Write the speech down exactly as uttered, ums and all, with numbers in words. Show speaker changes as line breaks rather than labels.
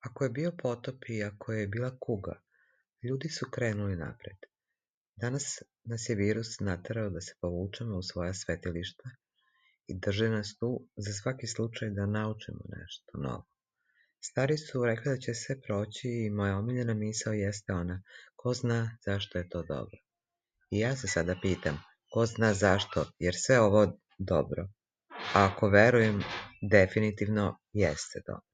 Ako je bio potop i ako je bila kuga, ljudi su krenuli napred. Danas nas je virus naterao da se povučemo u svoja svetilišta i drže nas tu za svaki slučaj da naučimo nešto novo. Stari su rekli da će sve proći i moja omiljena misao jeste ona: ko zna zašto je to dobro. I ja se sada pitam, ko zna zašto, jer sve ovo dobro, a ako verujem, definitivno jeste dobro.